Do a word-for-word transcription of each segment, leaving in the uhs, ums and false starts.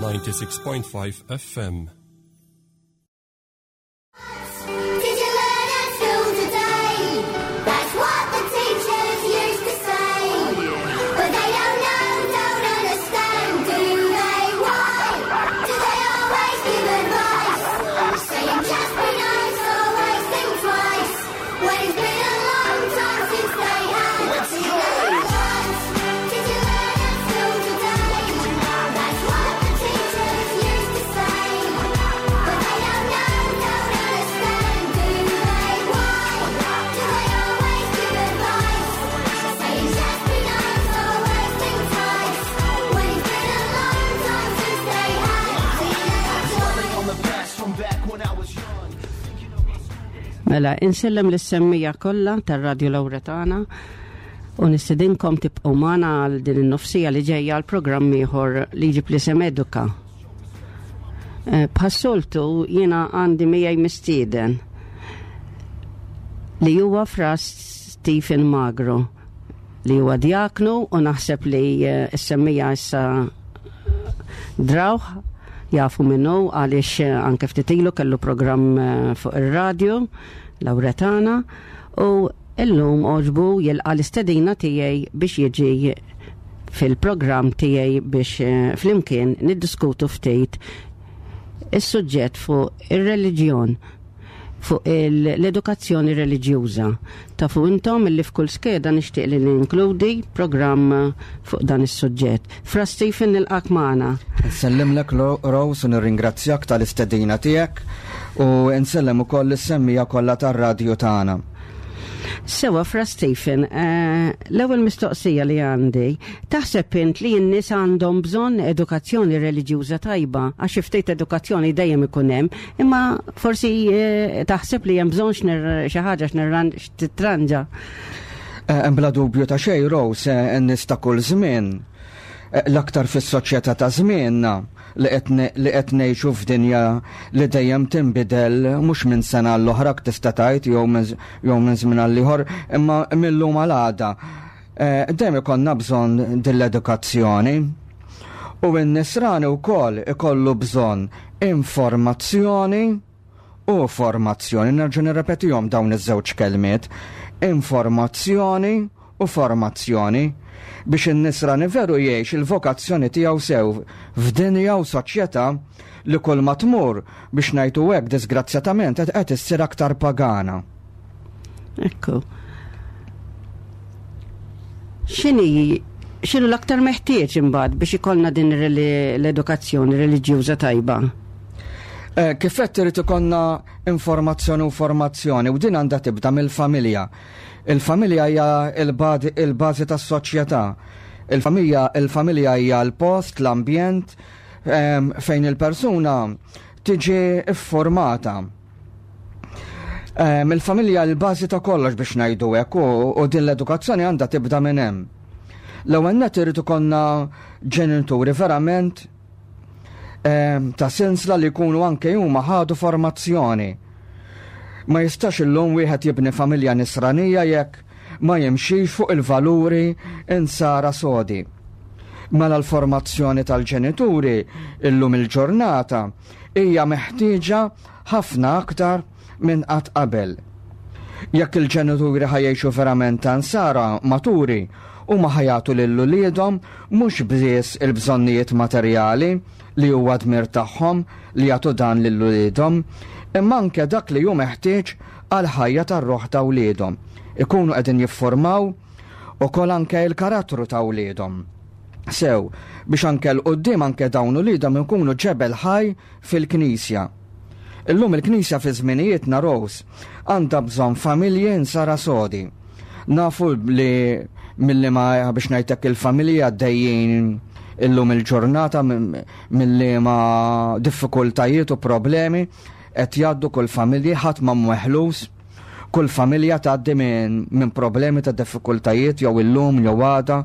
ninety-six point five F M. Did you learn at school today? That's what the teachers used to say. But they don't know, don't understand, do they? Why do they always give advice? Saying just be nice, always think twice. When it's been a long time since they had advice. Did you learn at school today? That's what the teachers used to say. But they don't know, don't understand, do they? Why do they always give advice? Saying just be nice, always think twice. When it's been a long time since they had Dwelling on the past from back when I was young. Mela, insellem lis-semmiegħa kollha tar-Radio Lauretana u nistedinkom tibqgħu magħna għal din in-nofs siegħa li ġejja għal programm ieħor li jġib l-isem Eduka. Eh, Bħas-soltu jiena għandi miegħi mistieden li huwa Fra Stephen Magro, li huwa diaknu, u naħseb li eh, s-semmiegħa issa drawh, jafu minnu, għaliex eh, anke ftit ilu kellu programm eh, fuq ir-radio Lauretana, u illum għoġbu jilqa l-istedina tiegħi biex jiġi fil-programm tiegħi biex eh, flimkien niddiskutu ftit is-suġġett fuq ir-reliġjon, fuq l-edukazzjoni reliġjuża. Tafu intom illi f'kull skeda nixtieq li ninkludi programm fuq dan is-suġġett. Fra Stephen, nilqak magħna. Nsellimlek, Rose, u nirringrazzjak tal-istedina tiegħek u nsellem ukoll is-semmiegħa kollha tar-radju tagħna. Sewa, Fra Stephen, eh, l-ewwel mistoqsija li għandi, taħseb int li n-nies għandhom bżonn edukazzjoni reliġjuża tajba? Għax ftit edukazzjoni dejjem ikun hemm, imma forsi eh, taħseb li hemm bżonn x'nir- xi ħaġa x'nirran- x'titranġa. Eh, Bla dubju ta' xejn, Rose, eh, n-nies ta' kull żmien, eh, l-aktar fis-soċjetà ta' żmienna li qed ne- li qed ngħixu f'dinja li dejjem tinbidel, mhux minn sena l-oħra tista' tgħid jew minn jew minn żmien għal ieħor, imma mill-lum għal għada. Eh, Dejjem ikollna bżonn din l-edukazzjoni. U n-nisrani wkoll ikollu bżonn informazzjoni u formazzjoni. Nerġa' nirrepetihom dawn iż-żewġ kelmiet. Informazzjoni u formazzjoni biex in-nisrani veru jgħix il-vokazzjoni tiegħu sew f'dinja u soċjetà li kull ma tmur, biex ngħidu hekk, disgrazzjatament qed qed issir aktar pagana. Ekku. X'inhi x'inhu l-aktar meħtieġ imbagħad biex ikollna din reli- l-edukazzjoni reliġjuża tajba? Eh, Kif qed irid ikollna informazzjoni u formazzjoni, u din għandha tibda mill-familja. Il-familja hija il-badi- il-bażi tas-soċjetà. Il-familja il-familja hija l-post, l-ambjent em, fejn il-persuna tiġi iffurmata. Em, Il-familja l-bażi ta' kollox, biex ngħidu hekk, u, u din l-edukazzjoni għandha tibda minn hemm. L-ewwel nett irid ikollna ġenituri verament em, ta' sinsla li jkunu anke huma ħadu formazzjoni. Ma jistax illum wieħed jibni familja nisranija jekk ma jimxix fuq il-valuri insara sodi. Mela l-formazzjoni tal-ġenituri illum il-ġurnata hija meħtieġa ħafna aktar minn qatt qabel. Jekk il-ġenituri ħa jgħixu verament ta' nsara maturi u ma ħa jagħtu lil uliedhom mhux biss il-bżonnijiet materjali, li huwa dmir tagħhom li jagħtu dan lil uliedhom, imma anke dak li hu meħtieġ għal ħajja tar-ruħ ta' wliedhom. Ikunu qegħdin jiffurmaw ukoll anke il-karattru ta' wliedhom. Sew, biex anke 'l quddiem anke dawn uliedhom ikunu ġebel ħaj fil-Knisja. Illum il-Knisja fi żminijietna, Rose, għandha bżonn familji nsara sodi. Nafu li milli ma, biex ngħidlek, il-familja għaddejjin illum il-ġurnata milli ma diffikultajiet u problemi qed jgħaddu kull familji, ħadd ma meħlus, kull familja tgħaddi minn min problemi ta' diffikultajiet jew illum jew għada,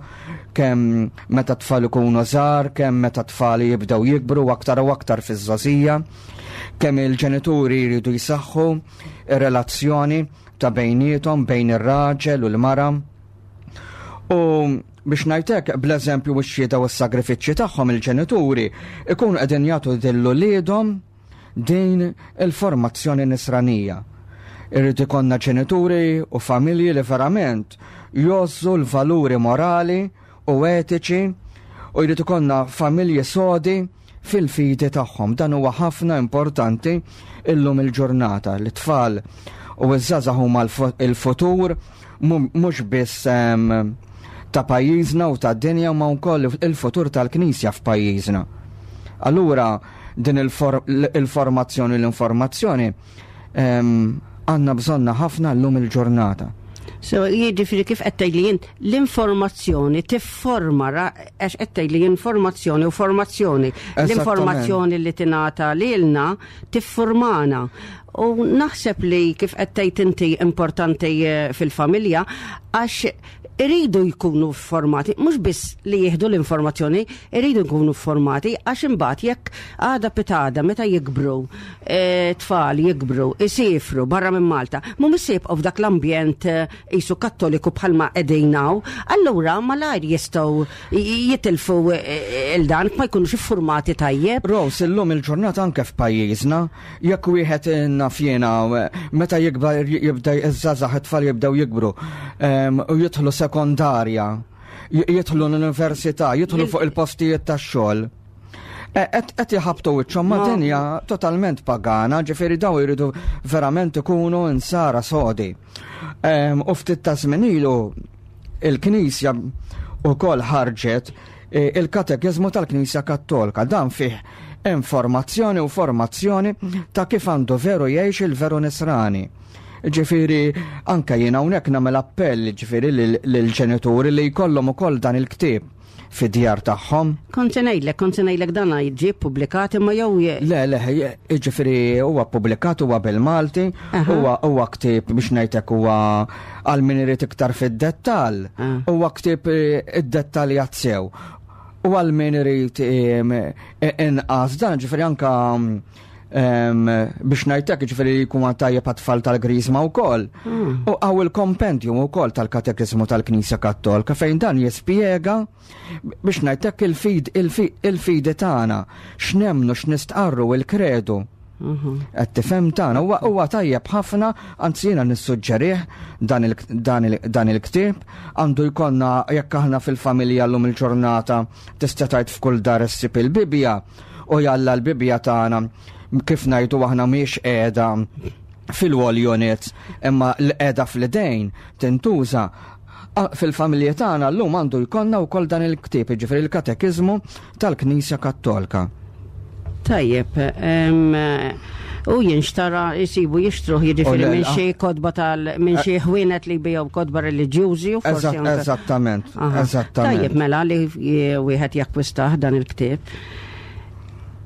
kemm meta tfal ikunu żgħar, kemm meta tfal jibdew jikbru, aktar u aktar fiż-żgħożija, kemm il-ġenituri jridu jsaħħu ir-relazzjoni ta' bejniethom, bejn ir-raġel u l-mara. U Biex ngħidlek, bl-eżempju u x-xhieda u s-sagrifiċċji tagħhom, il-ġenituri ikunu qegħdin jagħtu lil uliedhom din il-formazzjoni nisranija. Irrid ikollna ġenituri u familji li verament jgħożżu l-valuri morali u etiċi u jrid ikollna familji sodi fil-fidi tagħhom. Dan huwa ħafna importanti illum il-ġurnata. L-tfal u ż-żgħażagħ huma il-futur mhux biss ta' pajjiżna u ta' dinja, ma wkoll il-futur tal-Knisja f'pajjiżna. Allura din il-formazzjoni, l-informazzjoni għandna bżonna ħafna llum il-ġurnata. So, jiġifieri kif qed tgħidli jien, l-informazzjoni tifforma, għax qed tgħidli informazzjoni u formazzjoni. L-informazzjoni li tingħata lilna tiffurmana. U naħseb li kif qed tgħid inti importanti eh, fil-familja, għax iridu jkunu formati, mhux biss li jieħdu l-informazzjoni, iridu jkunu formati għax imbagħad jekk għada pitgħada meta jikbru, e, tfal jikbru, isifru barra minn Malta, mhumiex se jibqgħu f'dak l-ambjent eh, qisu kattoliku bħalma qegħdin hawn, allura malajr jistgħu jitilfu eh, il-dan ma jkunux iffurmati tajjeb. Rose, illum il-ġurnata anke f'pajjiżna, jekk wieħed naf jiena meta jikbar jibda iż-żgħażagħ, it-tfal jibdew jikbru u jidħlu sekondarja, jidħlu l-università, jidħlu fuq il-postijiet tax-xogħol. Qed jħabtu wiċċhom ma' dinja totalment pagana, ġifieri daw jridu verament ikunu insara sodi. U ftit ta' żmien ilu il-Knisja wkoll ħarġet e, il-Katekiżmu tal-Knisja Kattolika. Dan fih informazzjoni u formazzjoni ta' kif għandu veru jgħix il-veru nisrani. Ġifieri, anka jiena hawnhekk nagħmel appell, ġifieri, lill-ġenituri li jkollhom ukoll dan il-ktieb fid-djar tagħhom. Kont se ngħidlek, kont se ngħidlek dan jiġi ppubblikat imma jew Le, le, ġifieri huwa ppubblikat, huwa bil-Malti, huwa huwa ktieb, biex ngħidlek, huwa għal min irid iktar fid-dettall, ah. huwa ktieb eh, id-dettaljat sew. U għal min irid inqas dan, ġifieri anka biex ngħidlek, ġifieri jkun tajjeb għat-tfal tal-Griżma wkoll. Hmm. U hawn il-kompendium ukoll tal-Katekizmu tal-Knisja Kattolika fejn dan jispjega, biex ngħidlek, il-fid il-fidi tagħna, x'nemmnu, x'nistqarru, il-kredu. Mhm. Qed tifhem tagħna huwa huwa tajjeb ħafna, anzi jiena nissuġġerih dan il-ktieb għandu jkollna jekk aħna fil-familja. Llum il-ġurnata tista' tgħid f'kull dar issib il-Bibja u jalla l-Bibja tagħna, kif ngħidu aħna, mhix qiegħda fil-wall units imma l-qiegħda fl-idejn tintuża fil-familji tagħna, llum għandu jkollna wkoll dan il-ktieb, jiġifieri il-Katekiżmu tal-Knisja Kattolika. Tajjeb, u jinxtara, jisibu jixtruh, jiġifieri minn xi kotba tal minn xi ħwienet li jbigħu kotba reliġjużi u forsi Eżattament, eżattament. Tajjeb mela li wieħed jakkwistah dan il-ktieb.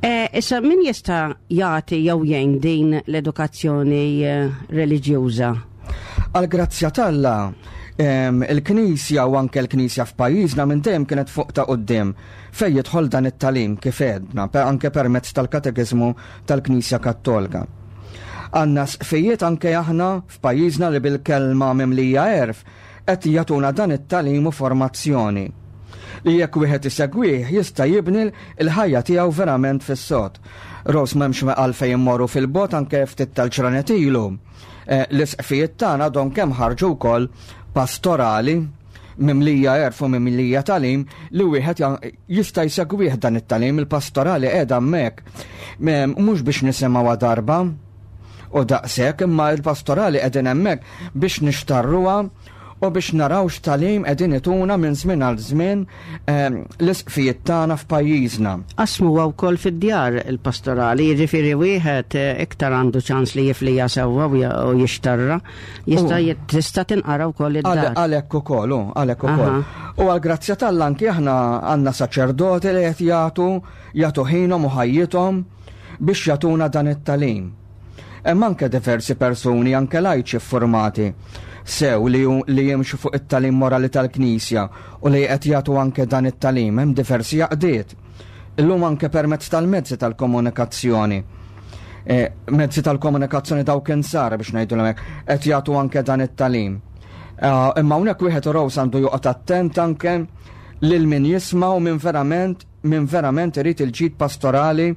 E, issa min jista' jagħti jew jgħin din l-edukazzjoni eh, reliġjuża? Għal-grazzja t'Alla, il-Knisja u anke l-Knisja f'pajjiżna minn dejjem kienet fuq ta' quddiem fejn jidħol dan it-tagħlim, kif għedna, anke permezz tal-Katekiżmu tal-Knisja Kattolika. Għandna isqfijiet anke aħna f'pajjiżna li bil-kelma mimlija għerf qed jagħtuna dan it-tagħlim u formazzjoni li jekk wieħed isegwih jista' jibni l-ħajja tiegħu verament fis-sod. Rose, m'hemmx għalfejn immorru fil-bogħod, anke ftit tal-ġranet ilu. Eh, l-isqfijiet tagħna don kemm ħarġu wkoll pastorali mimlija għerf u mimlija tagħlim li wieħed jista' jsegwih dan it-tagħlim. Il-pastorali qiegħda hemmhekk mhux biex nisimgħu darba u daqshekk, imma il-pastorali qegħdin hemmhekk biex nixtarruha u biex naraw x'tagħlim qegħdin ituna minn żmien għal żmien ehm, l-isqfijiet tagħna f'pajjiżna. Qasmu wkoll fid-djar il-pastorali, jiġifieri wieħed eh, iktar għandu ċans li jifliha sewwa u jixtarra, jista' tista' tinqara wkoll id-dar. Għalhekk ukoll, għalhekk ukoll. U għal-grazzja t'Alla anki aħna għandna saċerdoti li qed jagħtu jagħtu ħinhom u ħajjithom biex jagħtuna dan it-tagħlim. Hemm anke diversi persuni, anke lajċi formati sew, li, li jimxu fuq it-tagħlim morali tal-Knisja u li qed jagħtu anke dan it-tagħlim. Hemm diversi għaqdiet. Illum anke permezz tal-mezzi tal-komunikazzjoni. E, mezzi tal-komunikazzjoni dawk insara, biex ngħidu hekk, qed jagħtu anke dan it-tagħlim. Imma hawnhekk wieħed, Rose, għandu joqgħod attent anke Lil min jisma' u min verament min verament irid il-ġid pastorali,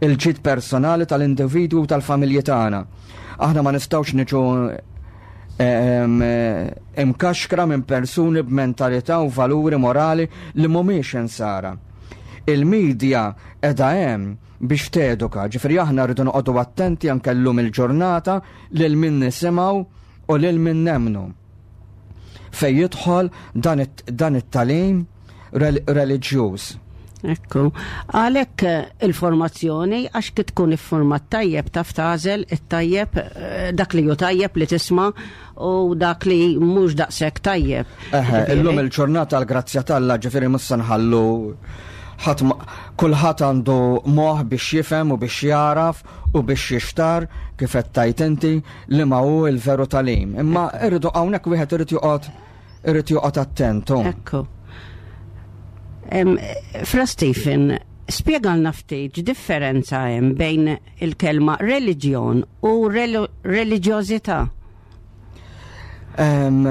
il-ġid personali tal-individwu u tal-familji tagħna. Aħna ma nistgħux niġu em, imkaxkra minn persuni b'mentalità u valuri morali li mhumiex insara. Il-medja qiegħda hemm biex teduka, ġifieri aħna rridu noqogħdu attenti anke llum il-ġurnata lil min nisimgħu u lil min nemmnu. Fej jidħol dan it- dan it-tagħlim rel- reliġjuż. Ekku. Għalhekk eh, il-formazzjoni, għax kif tkun ifformat tajjeb taf tagħżel it-tajjeb, eh, dak li hu tajjeb li tisma' u dak li mhux daqshekk tajjeb. Eħe, Ġifieri, illum il-ġurnata l-grazzja t'Alla, ġifieri mhux se nħallu ħadd ma- kulħadd għandu moħ biex jifhem u biex jaraf u biex jixtar kif qed tajt inti li ma hu il-veru tagħlim. Imma irridu hawnhekk wieħed irid joqgħod irid joqgħod attentu. Ekku. Em, Fra Stephen, spjegalna ftit differenza hemm bejn il-kelma reliġjon u rel reliġjożità. Em,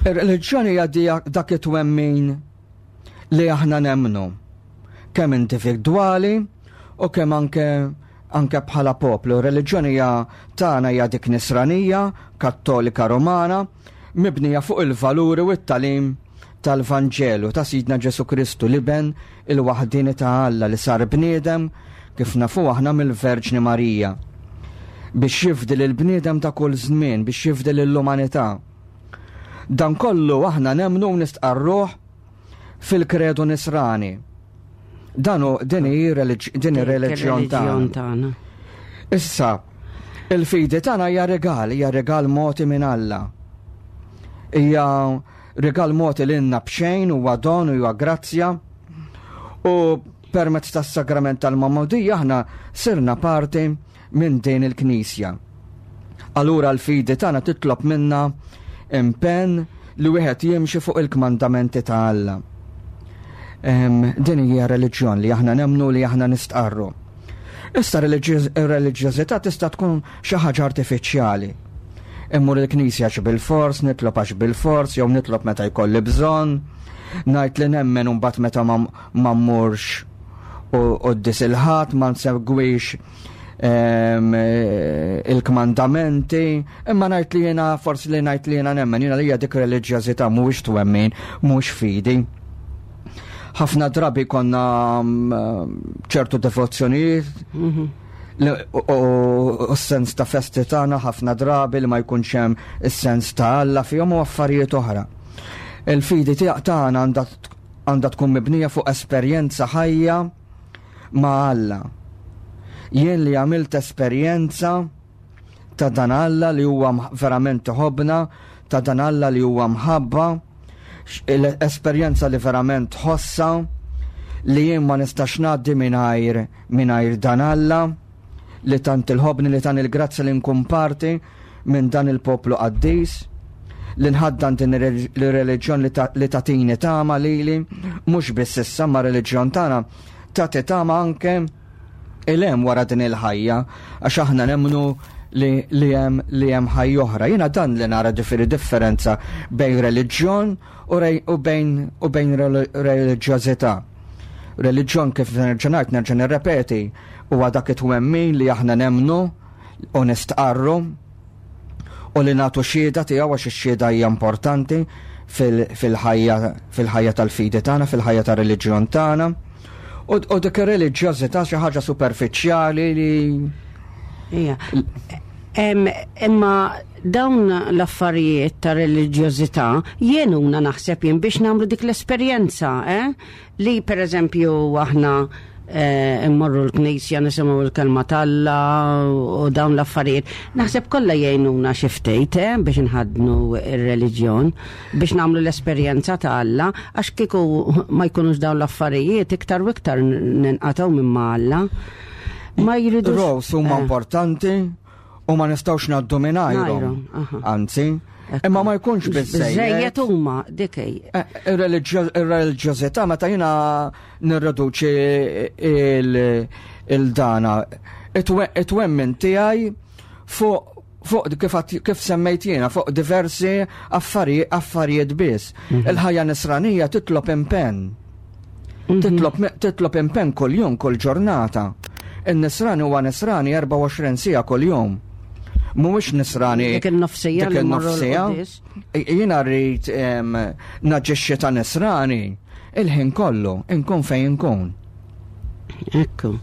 Ir-reliġjoni hija di- dak it-twemmin li aħna nemmnu. Kemm individwali u kemm anke anke bħala poplu. Reliġjoni hija tagħna hija dik nisranija, kattolika romana, mibnija fuq il-valuri u t-tagħlim tal-Vanġelu ta' Sidna Ġesu Kristu l-Iben il-waħdini ta' Alla li sar bniedem kif nafu aħna mill-Verġni Marija biex jifdi l-bniedem ta' kull żmien, biex jifdi l-umanità. Dan kollu aħna nemmnu u nistqarruh fil-kredu nisrani. Dan hu din hi religi- din ir-reliġjon tagħna. tagħna. Issa, il-fidi tagħna hija regal, hija regal mogħti minn Alla. Hija regal mogħti lilna b'xejn huwa don u huwa grazzja. U permezz tas-sagrament tal-Magħmudija aħna sirna parti minn din il-Knisja. Allura l-fidi tagħna titlob minna impenn li wieħed jimxi fuq il-kmandamenti ta' Alla. Em, Din hija reliġjon li aħna nemmnu li aħna nistqarru. Issa ir-reliġjożità tista' tkun xi ħaġa artifiċjali. Immur il-knisja għax bil-fors, nitlob għax bil-fors, jew nitlob meta jkolli bżonn, ngħid li nemmen u mbagħad meta ma ma mmurx u quddies il-Ħadd ma nsegwix em, eh, il-kmandamenti, imma ngħid li jiena forsi li ngħid li jiena nemmen, jiena li hija dik reliġjożità mhuwiex twemmin, mhux fidi. Ħafna drabi konna mm, ċertu devozzjonijiet li- u u- u s-sens ta' festi tagħna ħafna drabi li ma jkunx hemm is-sens ta' Alla fihom u affarijiet oħra. Il-fidi tiegħek tagħna għandha għandha tkun mibnija fuq esperjenza ħajja ma' Alla. Jien li għamilt esperjenza ta' dan Alla li huwa mħ- verament iħobbna, ta' dan Alla li huwa mħabba, x- l-esperjenza li verament ħossa li jien ma nistax ngħaddi mingħajr mingħajr dan Alla li tant iħobbni li tant il-grazzja li nkun parti minn dan il-poplu qaddis li nħaddan din ir-reliġjon li ta- li tatini tama lili mhux biss issa ma reliġjon tagħna tagħti tama anke il-hemm wara din il-ħajja għax aħna nemmnu li li hemm li hemm ħajja oħra. Jiena dan li nara ġifieri differenza bejn reliġjon u rej- u bejn u bejn rel- reliġjożità. Reliġjon kif nerġa' ngħid nerġa' nirrepeti huwa dak it-twemmin li aħna nemmnu u nistqarru u li nagħtu xhieda tiegħu għax ix-xhieda hija importanti fil- fil-ħajja fil-ħajja tal-fidi tagħna, fil-ħajja tar-reliġjon tagħna. U u dik ir-reliġjożità xi ħaġa superfiċjali li Ija. Em, Imma dawn l-affarijiet ta' reliġjożità jgħinuna naħseb jien biex nagħmlu dik l-esperjenza, eh? Li per eżempju aħna eh, immorru l-knisja nisimgħu l-kelma t'Alla u dawn l-affarijiet. Naħseb kollha jgħinuna xi ftit eh, biex nħaddnu ir-reliġjon, biex nagħmlu l-esperjenza ta' Alla, għax kieku ma jkunux dawn l-affarijiet iktar u iktar ninqatgħu minn ma' Alla. Ma jridux. Rose huma eh. importanti u ma nistgħux ngħaddu mingħajrhom. Mingħajrhom, aha. Anzi, Ekku. imma ma jkunx biżejjed. Biżejjed huma dik hi. Eh, Ir-reliġjo- Ir-reliġjożità meta jiena nirreduċi il- il-dana it-twemmin tiegħi fuq Fuq kif, kif semmejt jiena, fuq diversi affari, affarijiet biss. Mm -hmm. Il-ħajja nisranija titlob impenn. Mm -hmm. Titlob, titlob impenn kuljum, kull ġurnata. In-nisrani huwa nisrani erbgħa u għoxrin siegħa kuljum. Mhuwiex nisrani dik in-nofsija. Dik in-nofsija. Jiena rrid naġixxi ta' nisrani il-ħin kollu, inkun fejn inkun. Ekku.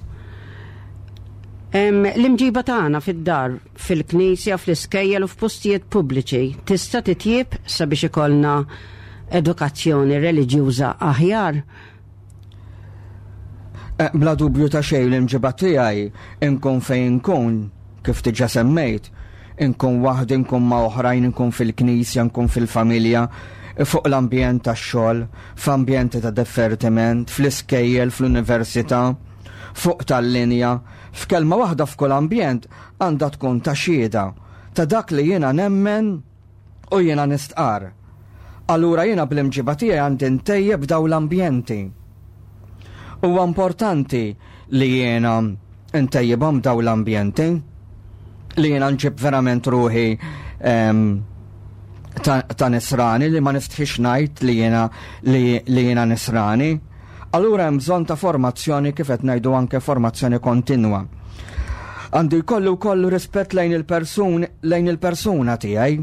L-imġiba tagħna fid-dar, fil-knisja, fl-iskejjel u f'postijiet pubbliċi tista' titjib sabiex ikollna edukazzjoni reliġjuża aħjar? Eh, bla dubju ta' xejn, l-imġiba tiegħi inkun fejn inkun, kif diġà semmejt, inkun waħdi, inkun ma' oħrajn, inkun fil-knisja, inkun fil-familja, fuq l-ambjent tax-xogħol, f'ambjenti ta' divertiment, fl-iskejjel, fl-università, fuq tal-linja, f'kelma waħda f'kull ambjent għandha tkun ta' xhieda ta' dak li jiena nemmen u jiena nistqar. Allura jiena bl-imġiba tiegħi għandi ntejjeb daw l-ambjenti. Huwa importanti li jiena ntejjibhom daw l-ambjenti, li jiena nġib verament ruħi ta', ta nisrani, li ma nistħix ngħid li jiena li, li jiena nisrani. Allura hemm bżonn ta' formazzjoni, kif qed ngħidu, anke formazzjoni kontinwa. Għandu jkollu wkoll rispett lejn il-persun lejn il-persuna tiegħi.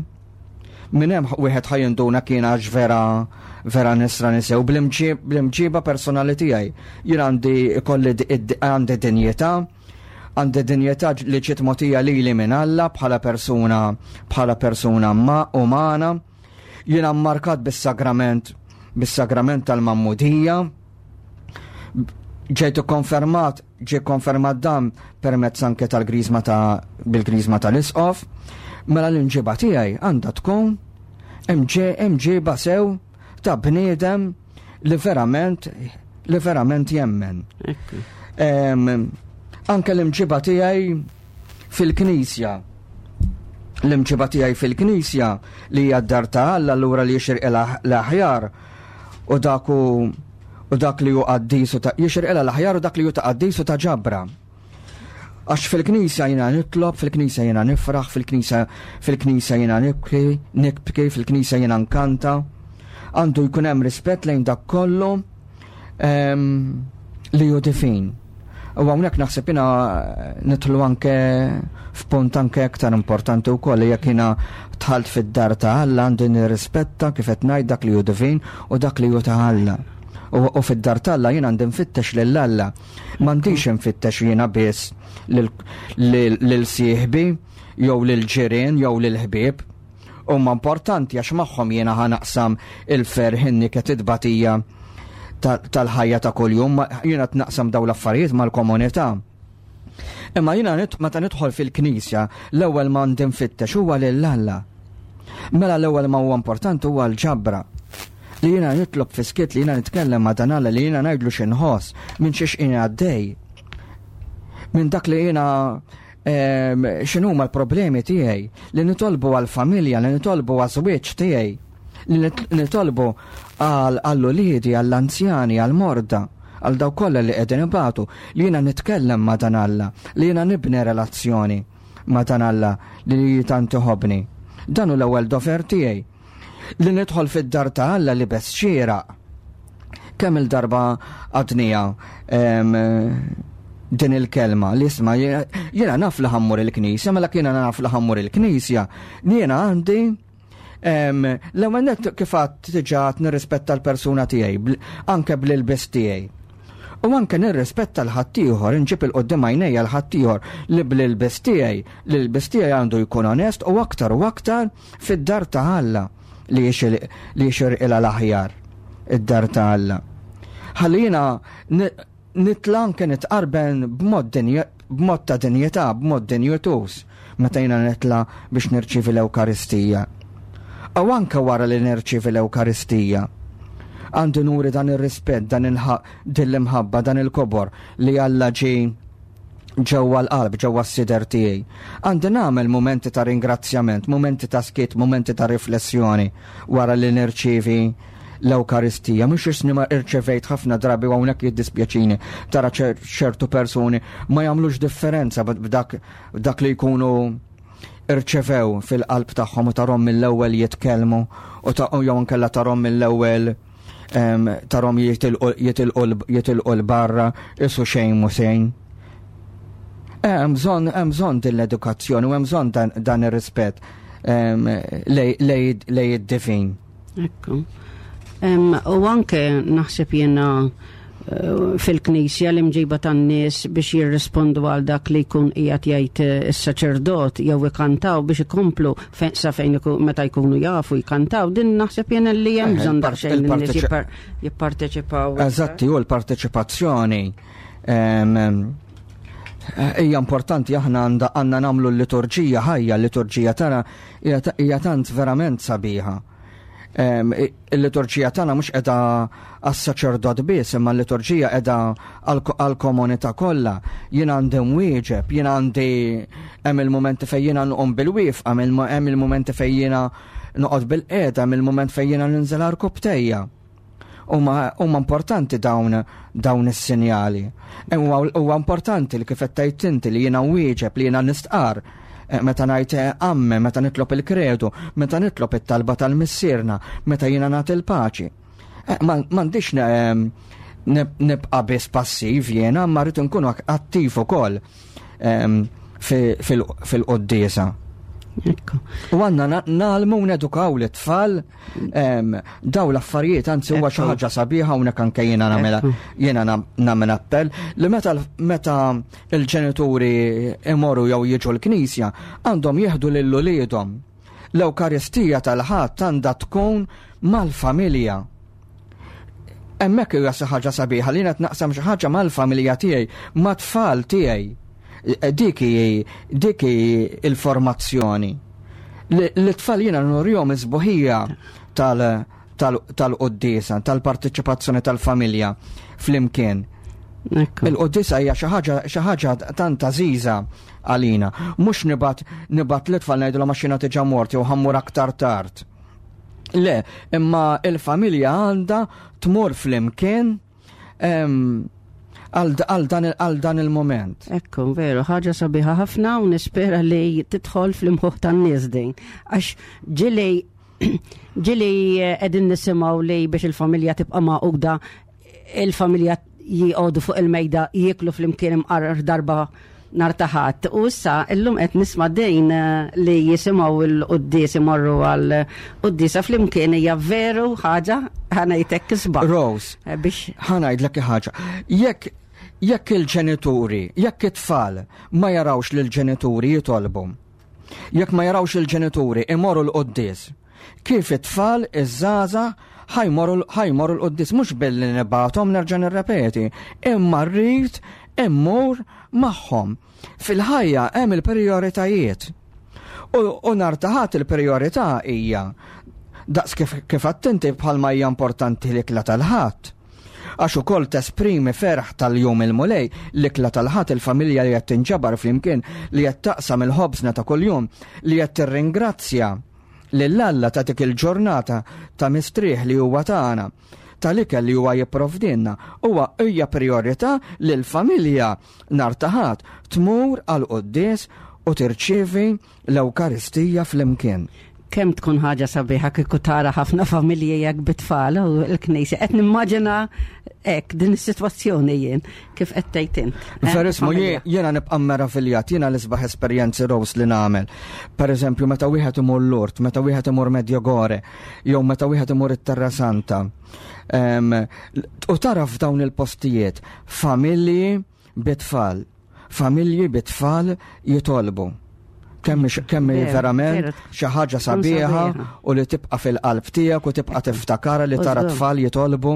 Minn hemm wieħed ħa jinduna kien għax vera vera nisrani sew bl-imġiba personali tiegħi. Jien għandi ikolli għandi dinjità, għandi dinjità li ġiet mogħtija lili minn Alla bħala persuna bħala persuna ma umana. Jiena mmarkat bis-sagrament bis-sagrament tal-Magħmudija. Ġejtu konfermat, ġie konfermat dan permezz anke tal-griżma ta' bil-griżma tal-isqof. Mela l-imġiba tiegħi għandha tkun imġiba sew ta' bniedem li verament li verament jemmen. Anke l-imġiba tiegħi fil-knisja. L-imġiba tiegħi fil-knisja li hija d-dar ta' Alla, allura li jixirq l-aħjar u dak u dak li hu qaddis u ta' jixirqilha l-aħjar u dak li hu ta' qaddis u ta' ġabra. Għax fil-knisja jiena nitlob, fil-knisja jiena nifraħ, fil-knisja fil-knisja jiena nibki, nibki, fil-knisja jiena nkanta. Għandu jkun hemm rispett lejn dak kollu li hu divin. U hawnhekk naħseb jiena nidħlu anke f'punt anke aktar importanti wkoll, jekk jiena dħalt fid-dar ta' Alla, għandi nirrispetta, kif qed ngħid, dak li hu divin u dak li hu ta' Alla. U fid-dar t'Alla jiena għandi nfittex lil Alla. M'għandix nfittex jiena biss lil sieħbi jew lil ġirien jew lil ħbieb. Huma importanti għax magħhom jiena ħa naqsam il-ferħ, in-niket, it-tbatija tal-ħajja ta' kuljum, jiena naqsam daw l-affarijiet mal-komunità. Imma jiena meta nidħol fil-knisja, l-ewwel ma għandi nfittex huwa lil Alla. Mela l-ewwel ma huwa importanti huwa l-ġabra. Li jiena nitlob fis-skiet, li jiena nitkellem ma' dan Alla, li jiena ngħidlu x'inħoss, minn xiex jiena għaddej. Minn dak li jiena x'inhuma l-problemi tiegħi, li nitolbu għall-familja, li nitolbu għaż-żwieġ tiegħi, li nitolbu għall-uliedi, għall-anzjani, għall-morda, għal daw kollha li qegħdin ibatu, li jiena nitkellem ma' dan Alla, li jiena nibni relazzjoni ma' dan Alla li tant iħobbni. Dan hu l-ewwel dover tiegħi. Li nidħol fid-dar ta' Alla libes xieraq. Kemm il-darba għadnija din il-kelma li isma', jiena naf li ħa mmur il-knisja, mela jiena naf li ħa mmur il-knisja, jiena għandi l-ewwel nett, kif għedt diġà, nirrispetta l-persuna tiegħi, anke bl-ilbes tiegħi. U anke nirrispetta l-ħaddieħor, nġib 'il quddiem għajnejja l-ħaddieħor li bl-ilbes tiegħi, l-ilbes tiegħi għandu jkun onest, u aktar u aktar fid-dar ta' Alla li jixirqilha l-aħjar, id-dar ta' Alla. Ħalli jiena nitla' anke nitqarben b'mod b'mod ta' dinjità, b'mod dinjituż, meta jiena nitla' biex nirċievi l-Ewkaristija. U anke wara li nirċievi l-Ewkaristija, għandu nuri dan ir-rispett, dan din l-imħabba, dan il-kobor li Alla ġie ġewwa l-qalb, ġewwa s-sider tiegħi. Għandi nagħmel momenti ta' ringrazzjament, momenti ta' skiet, momenti ta' riflessjoni wara li nirċievi l-Ewkaristija. Mhux isni ma irċevejt. Ħafna drabi, hawnhekk jiddispjaċini, tara ċertu persuni ma jagħmlux differenza b'dak dak li jkunu irċevew fil-qalb tagħhom u tarhom mill-ewwel jitkellmu u ta' u jew inkella tarhom mill-ewwel em, tarhom jitilqu jitilqu jitilqu 'l barra isu xejn mhu xejn. Hemm bżonn hemm bżonn din l-edukazzjoni u hemm bżonn dan, dan ir-rispett em, lej lej lej id-divin. Ekku. Em, U anke naħseb jiena eh, fil-knisja l-imġiba tan-nies biex jirrispondu għal dak li jkun qiegħed jgħid eh, is-saċerdot jew ikantaw biex ikomplu fe- sa fejn iku- meta jkunu jafu jkantaw, din naħseb jiena li hemm Eh, bżonn il-part- daqsxejn li n-nies il-parteċi- jippar- jipparteċipaw. Eżatti, u l-parteċipazzjoni em, em, hija importanti. Aħna għanda għandna nagħmlu l-liturġija ħajja, l-liturġija tagħna hija ta- hija tant verament sabiħa. Em, i- Il-liturġija tagħna mhux qiegħda għas-saċerdot biss, imma l-liturġija qiegħda għall- għall-komunità kollha. Jien għandi nwieġeb, jien għandi hemm il-mumenti fejn jiena nqum bil-wieqfa, hemm il- hemm il-mumenti fejn jiena noqgħod bil-qiegħda, hemm il-mument fejn jiena ninżel għarkopptejja. Huma huma importanti dawn dawn is-sinjali. E Huwa huwa importanti li kif qed tgħid inti li jiena nwieġeb, li jiena nistqar eh, meta ngħid eh, amme, meta nitlob il-kredu, meta nitlob it-talba tal-missierna, meta jiena nagħti il-paċi. Eh, ma- M'għandix ne- em, nib- nibqa' biss passiv jiena, ma rrid nkunu attiv ukoll em, fi- fil- fil-quddiesa. Ekku. U għandna na- ngħallmu u nedukaw l-tfal em, daw l-affarijiet, anzi huwa xi Ekku. ħaġa sabiħa hawnhekk anke jiena nagħmel Ekku. jiena nam- nagħmel appell li meta l- meta l-ġenituri imorru jew jiġu l-knisja għandhom jieħdu lil uliedhom. L-Ewkaristija tal-Ħadd għandha tkun mal-familja. Hemmhekk hija xi ħaġa sabiħa li qed naqsam xi ħaġa mal-familja tiegħi, mat-tfal tiegħi. Dik hi dik hi il-formazzjoni. Li l-tfal jiena nurihom is-sbuħija tal- tal- tal-quddiesa, tal-parteċipazzjoni tal-familja flimkien. Ekku. Il-quddiesa hija xi ħaġa xi ħaġa tant għażiża għalina. Mhux nibgħat nibgħat l-tfal ngħidulhom għax jiena diġà mort jew ħa mmur aktar tard. Le, imma il-familja għandha tmur flimkien em, għal għal dan għal dan il-moment. Ekku, veru, ħaġa sabiħa ħafna u nispera li tidħol fl-imħuħ tan-nies din. Għax ġieli ġieli eh, qegħdin nisimgħu li biex il-familja tibqa' magħquda, il-familja jgħodu fuq il-mejda jieklu flimkien imqarrar darba nhar ta' Ħadd. U issa illum qed nisma' din eh, li jisimgħu il-quddies, imorru għal quddiesa flimkien, hija veru ħaġa ħa ngħidlek isbaħ. Rose, Eh, Biex ħa ngħidlek ħaġa. Jekk jekk il-ġenituri, jekk it-tfal ma jarawx lil ġenituri jitolbu, jekk ma jarawx il-ġenituri imorru l-quddies, kif it-tfal iż-żgħażagħ ħa jmorru ħa jmorru l-quddies? Mhux billi nibgħathom, nerġa' nirrepeti, imma rrid immur magħhom. Fil-ħajja hemm il-prijoritajiet. U, u nhar ta' Ħadd il-priorità hija daqs kif, kif attenti bħalma hija importanti l-ikla tal-Ħadd. Għax ukoll tesprimi ferħ tal-jum il-Mulej, l-ikla tal-Ħadd, il-familja li qed tinġabar flimkien, li qed taqsam il-ħobżna ta' kuljum, li qed tirringrazzja lil Alla ta' dik il-ġurnata ta' mistrieħ li huwa tagħna, tal-ikel li huwa jipprovdinna, huwa hija priorità li l-familja nhar ta' Ħadd tmur għal quddies u tirċievi l-Ewkaristija flimkien. Kemm tkun ħaġa sabiħa kieku tara ħafna familji jekk bit-tfal u l-knisja. Qed nimmaġina hekk din is-sitwazzjoni jien kif qed tgħid int. Eh, Verismu, familja. jiena nibqa' meraviljat, jiena l-isbaħ esperjenzi, Rose, li nagħmel. Per eżempju, meta wieħed imur Lourdes, meta wieħed imur Medjugorje, jew meta wieħed imur it-Terra Santa. Em, U tara f'dawn il-postijiet familji bit-tfal, familji bit-tfal jitolbu. Kemm kemm Veru, verament veru. xi ħaġa sabiħa sabiħa. u li tibqa' fil-qalb tiegħek u tibqa' tiftakara li tara U żgur. tfal jitolbu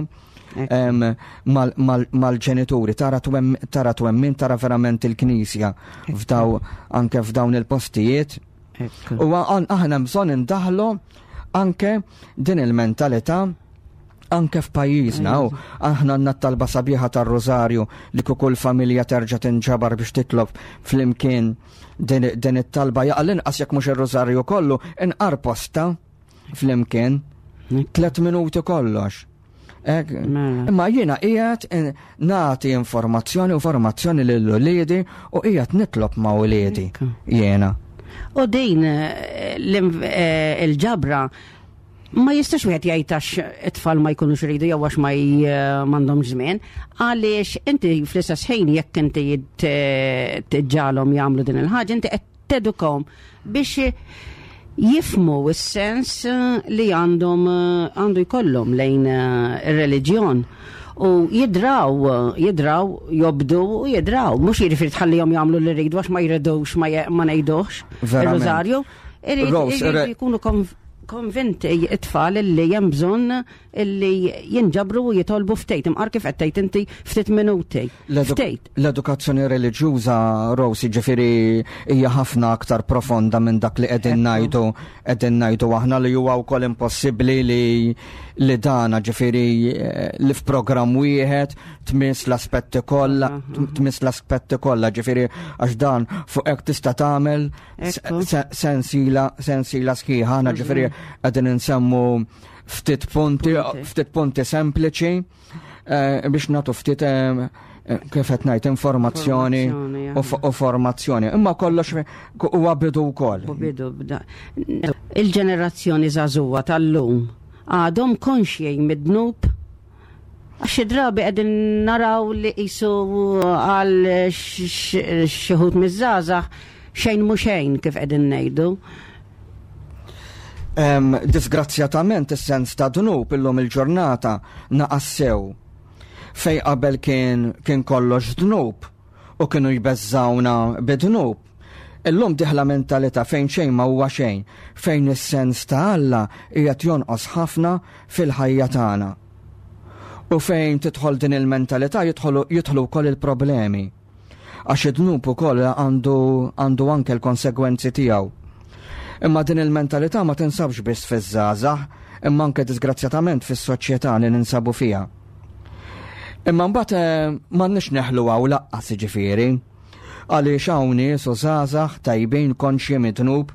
em, mal- mal- mal-ġenituri, tara twem- tara twemmin, tara verament il-knisja f'daw anke f'dawn il-postijiet. Ekku. U għan- aħna bżonn indaħlu anke din il-mentalità anke f'pajjiżna. U aħna għandna talba sabiħa tar-Rożarju li kull familja terġa' tinġabar biex titlob flimkien din, din it-talba, jaqal inqas jekk mhux ir-Rożarju kollu, inqar posta flimkien tlet minuti kollox. Ek, Mela. imma jiena qiegħed in- nagħti informazzjoni u formazzjoni lil uliedi u qiegħed nitlob ma' uliedi Ekku. jiena. U din eh, l-inv- eh, il-ġabra ma jistax wieħed jgħid għax it-tfal ma jkunux iridu jew għax ma j- m'għandhomx żmien, għaliex inti fl-istess ħin jekk inti t- tiġġagħalhom jagħmlu din il-ħaġa, inti qed tedukhom biex jifhmu s-sens li għandhom għandu jkollhom lejn eh, ir-reliġjon. U jidraw, jidraw, jobdu u jidraw. Mhux jiġifieri tħallihom jagħmlu li jridu għax ma jridux ma je- ma ngħidux. Verament. Il-Rożarju. Irid Rose, irid re- jkunu konv- konvinti it-tfal illi hemm bżonn illi jinġabru u jitolbu ftit. Imqar kif qed tgħid inti ftit minuti. L-edu- Ftit. L-edukazzjoni reliġjuża, Rose, ġifieri hija ħafna aktar profonda minn dak li qegħdin ngħidu qegħdin ngħidu aħna, li huwa wkoll impossibbli li li dana ġifieri eh, li f'programm wieħed tmiss l-aspetti kollha tmiss l-aspetti kollha ġifieri, għax dan fuq hekk tista' tagħmel Ekku. se- sensila sensila sħiħa. Aħna ġifieri qegħdin insemmu ftit punti Punti. ftit punti sempliċi eh, biex nagħtu ftit eh, eh, kif qed ngħid, informazzjoni Informazzjoni, u f- u formazzjoni. Imma kollox huwa bidu wkoll. U bidu bda. Il-ġenerazzjoni żagħżugħa tal-lum għadhom konxji mid-dnub, għax xi drabi qegħdin naraw li qisu għal xi wħud miż-żgħażagħ xejn mhu xejn, kif qegħdin ngħidu. Em, Disgrazzjatament is-sens ta' dnub illum il-ġurnata naqas sew. Fej qabel kien kien kollox dnub u kienu jbeżżawna bid-dnub. Illum dieħla mentalità fejn xejn ma huwa xejn, fejn is-sens ta' Alla qiegħed jonqos ħafna fil-ħajja tagħna. U fejn tidħol din il-mentalità jidħolu jidħlu wkoll il-problemi. Għax id-dnub ukoll għandu għandu anke l-konsegwenzi tiegħu. Imma din il-mentalità ma tinsabx biss fiż-żgħażagħ, imma anke disgrazzjatament fis-soċjetà li ninsabu fiha. Imma mbagħad eh, m'għandniex neħlu hawn lanqas, jiġifieri. Għaliex hawn nies u żgħażagħ tajbin, konxji mid-dnub,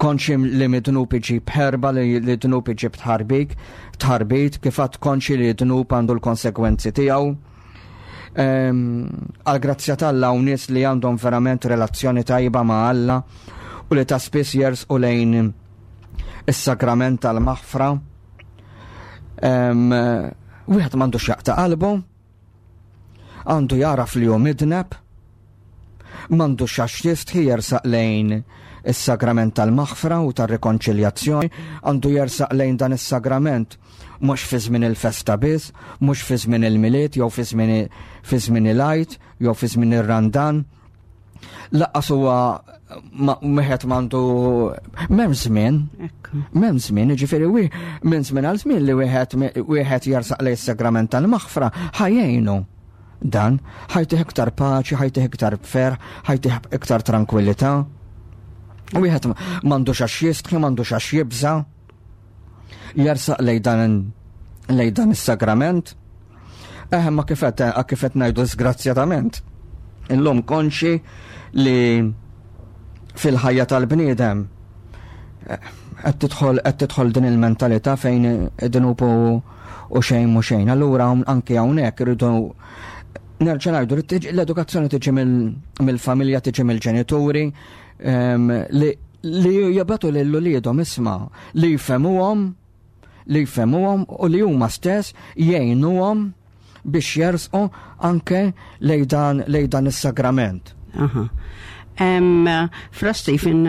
konxji li mid-dnub iġib ħerba, li li dnub iġib tħarbik, tħarbit, kif għad konxji li dnub għandu l-konsekwenzi tiegħu. Ehm, Għal-grazzja t'Alla hawn nies li għandhom verament relazzjoni tajba ma' Alla u li ta' spiss jersqu lejn is-sagrament tal-maħfra. Ehm, Wieħed m'għandux jaqta' qalbu, għandu jaraf li hu midneb, m'għandux għax jistħi jersaq lejn is-sagrament tal-maħfra u tar-rikonċiljazzjoni, għandu jersaq lejn dan is-sagrament mhux fi żmien il-festa biss, mhux fi żmien il-Milied jew fi żmien fi żmien il-Għid jew fi żmien ir-Randan. Lanqas huwa ma- wieħed m'għandu, m'hemm żmien, Ekku. m'hemm żmien, jiġifieri wi minn żmien għal żmien li wieħed wieħed jersaq lejn is-sagrament tal-maħfra ħa jgħinu. Dan ħa jtih iktar paċi, ħa jtih iktar ferħ, ħa jtih iktar tranquillità. Wieħed m'għandux għax jistħi, m'għandux għax jibża. Jersaq lejn dan lejn dan is-sagrament. Eh, ma kif qed kif qed ngħidu, disgrazzjatament. Illum konxi li fil-ħajja tal-bniedem eh, qed tidħol qed tidħol din il-mentalità fejn id-dnub u u xejn mhu xejn. Allura hawn- anke hawnhekk irridu nerġa' ngħidu li tiġi- l-edukazzjoni tiġi mill- mill-familja, tiġi mill-ġenituri em, li li jibagħtu lil uliedhom, isma', li jfehmuhom li jfehmuhom u li huma stess jgħinuhom biex jersqu anke lejn dan lejn dan is-sagrament. Aha. Em, Fra Stephen,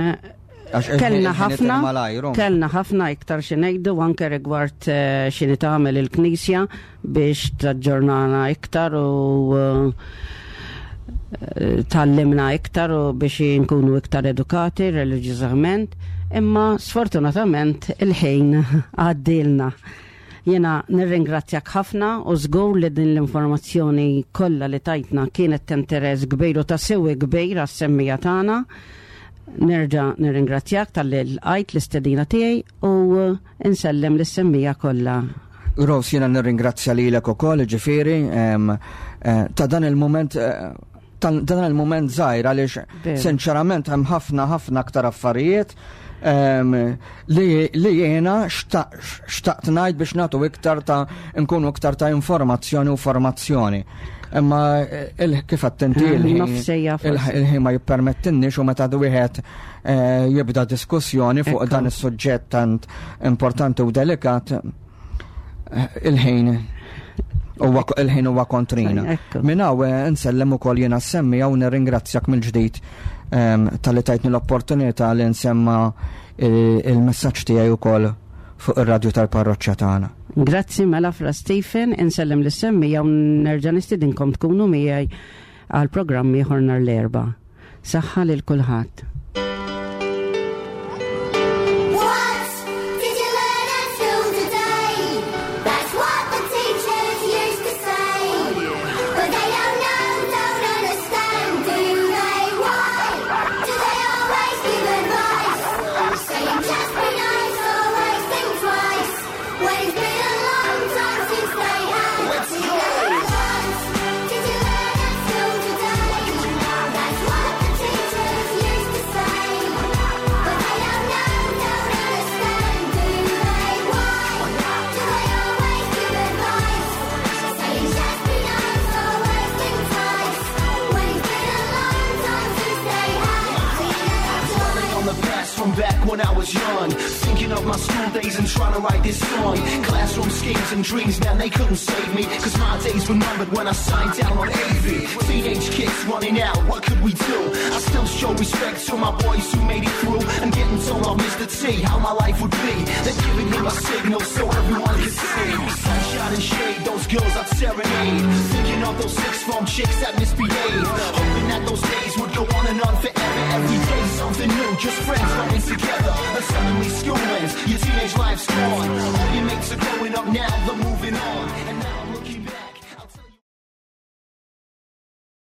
Għax il- kellna il-ħin ħafna, itir malajr, kellna ħafna iktar xi ngħidu anke rigward eh, x'inhi tagħmel il-Knisja biex taġġornana iktar u eh, tgħallimna iktar u biex nkunu iktar edukati reliġjużament, imma sfortunatament il-ħin għaddilna. Jena nirringrazzjak ħafna u żgur li din l-informazzjoni kollha li tajtna kienet t'interess kbir u ta' sewi kbir għas-semmiegħa tagħna. Nerġa' nirringrazzjak talli lqajt l-istedina tiegħi u insellem lis-semmiegħa kollha. Rose, jiena nirringrazzja lilek ukoll, ġifieri, em, eh, ta' dan il-moment eh, ta' dan il-moment żgħir, għaliex Veru. sinċerament hemm ħafna ħafna aktar affarijiet em, li li jiena xtaqt ngħid biex nagħtu iktar ta' nkunu iktar ta' informazzjoni u formazzjoni. Imma il kif attenti Ah, il-ħin nofsija forsi. il-ħin ma jippermettinniex u meta wieħed eh, jibda diskussjoni fuq Ekku. dan is-suġġett tant importanti u delikat eh, il-ħin huwa il-ħin huwa kontrina. Ekku. Minn hawn eh, nsellem ukoll jiena semmi u nirringrazzjak mill-ġdid ehm, talli tajtni l-opportunità li nsemma il- il-messaġġ tiegħi ukoll fuq ir-radju tal-parroċċa tagħna. Grazzi mela Fra Stephen, insellem lis-semmiegħa u nerġa' nistidinkom tkunu miegħi għal programm ieħor nhar l-Erbgħa. Saħħa lil kulħadd. What did you learn at school today? That's what the teachers used to say. But they don't know, don't understand, do they? Why do they always give advice? Saying just be nice, always think twice. When it's been a long time since they had. What did you learn at school today? That's what the teachers used to say. But they don't know, don't understand, do they? Why do they always give advice? Saying just be nice, always think twice. When it's been a long time since they had Dwelling on the past from back when I was young. Thinking of my school days and trying to write this song. Classroom schemes and dreams, man, they couldn't save me. Cause my days were numbered when I signed down on AV. Teenage kids running out, what could we do? I still show respect to my boys who made it through. And getting told off Mr. T how my life would be. They're giving him a signal so everyone could see. Sunshine and shade, those girls I'd serenade. Thinking of those six form chicks that misbehaved. Hoping that those days would go on and on forever. Every day something new, just friends running together.